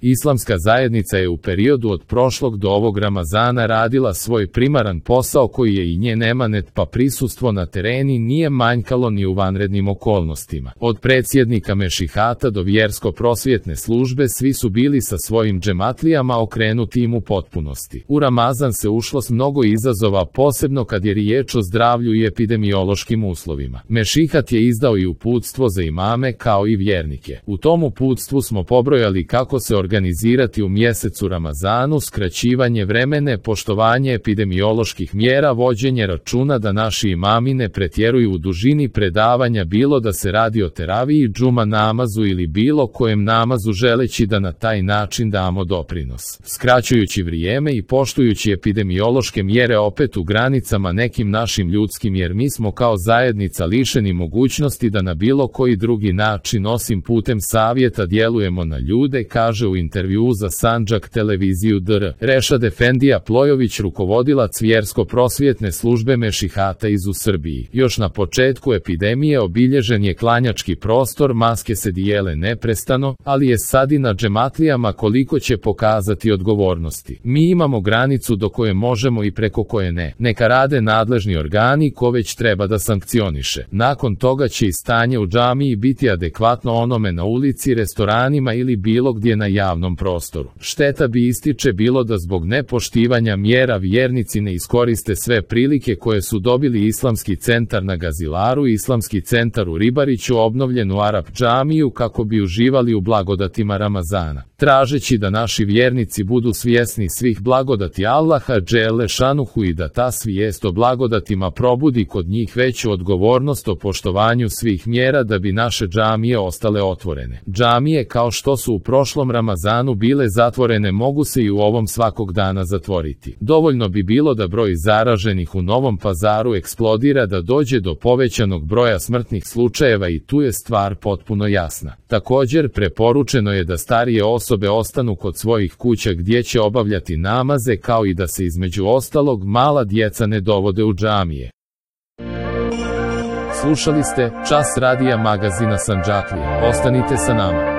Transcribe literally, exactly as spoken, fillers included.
Islamska zajednica je u periodu od prošlog do ovog Ramazana radila svoj primaran posao koji je i njen emanet, pa prisustvo na tereni nije manjkalo ni u vanrednim okolnostima. Od predsjednika mešihata do vjersko-prosvjetne službe svi su bili sa svojim džematlijama okrenuti im u potpunosti. U Ramazan se ušlo s mnogo izazova, posebno kad je riječ o zdravlju i epidemiološkim uslovima. Mešihat je izdao i uputstvo za imame kao i vjernike. U tom uputstvu smo pobrojali kako se organizirati u mjesecu Ramazanu, skraćivanje vremena, poštovanje epidemioloških mjera, vođenje računa da naši imami ne pretjeruju u dužini predavanja, bilo da se radi o teraviji, džuma namazu ili bilo kojem namazu, želeći da na taj način damo doprinos. Skraćujući vrijeme i poštujući epidemiološke mjere opet u granicama nekim našim ljudskim, jer mi smo kao zajednica lišeni mogućnosti da na bilo koji drugi način osim putem savjeta djelujemo na ljude, kaže u intervjuu za Sandžak televiziju D R Rešad Efendija Plojović, rukovodilac vjersko-prosvjetne službe mešihata iz u Srbiji. Još na početku epidemije obilježen je klanjački prostor, maske se dijele neprestano, ali je sad i na džematlijama koliko će pokazati odgovornosti. Mi imamo granicu do koje možemo i preko koje ne. Neka rade nadležni organi ko već treba da sankcioniše. Nakon toga će i stanje u džamiji biti adekvatno onome na ulici, restoranima ili bilo gdje na javnom prostoru. Šteta bi, ističe, bilo da zbog nepoštivanja mjera vjernici ne iskoriste sve prilike koje su dobili Islamski centar na Gazilaru i Islamski centar u Ribariću, obnovljenu Arap džamiju, kako bi uživali u blagodatima Ramazana. Tražeći da naši vjernici budu svjesni svih blagodati Allaha dželle šanuhu i da ta svijest o blagodatima probudi kod njih veću odgovornost o poštovanju svih mjera da bi naše džamije ostale otvorene. Džamije kao što su u prošlom Ramazanu bile zatvorene mogu se i u ovom svakog dana zatvoriti. Dovoljno bi bilo da broj zaraženih u Novom Pazaru eksplodira da dođe do povećanog broja smrtnih slučajeva i tu je stvar potpuno jasna. Također preporučeno je da starije osobe ostanu kod svojih kuća gdje će obavljati namaze, kao i da se između ostalog mala djeca ne dovode u džamije. Slušali ste Čas radija magazina Sandžaklija. Ostanite sa nama.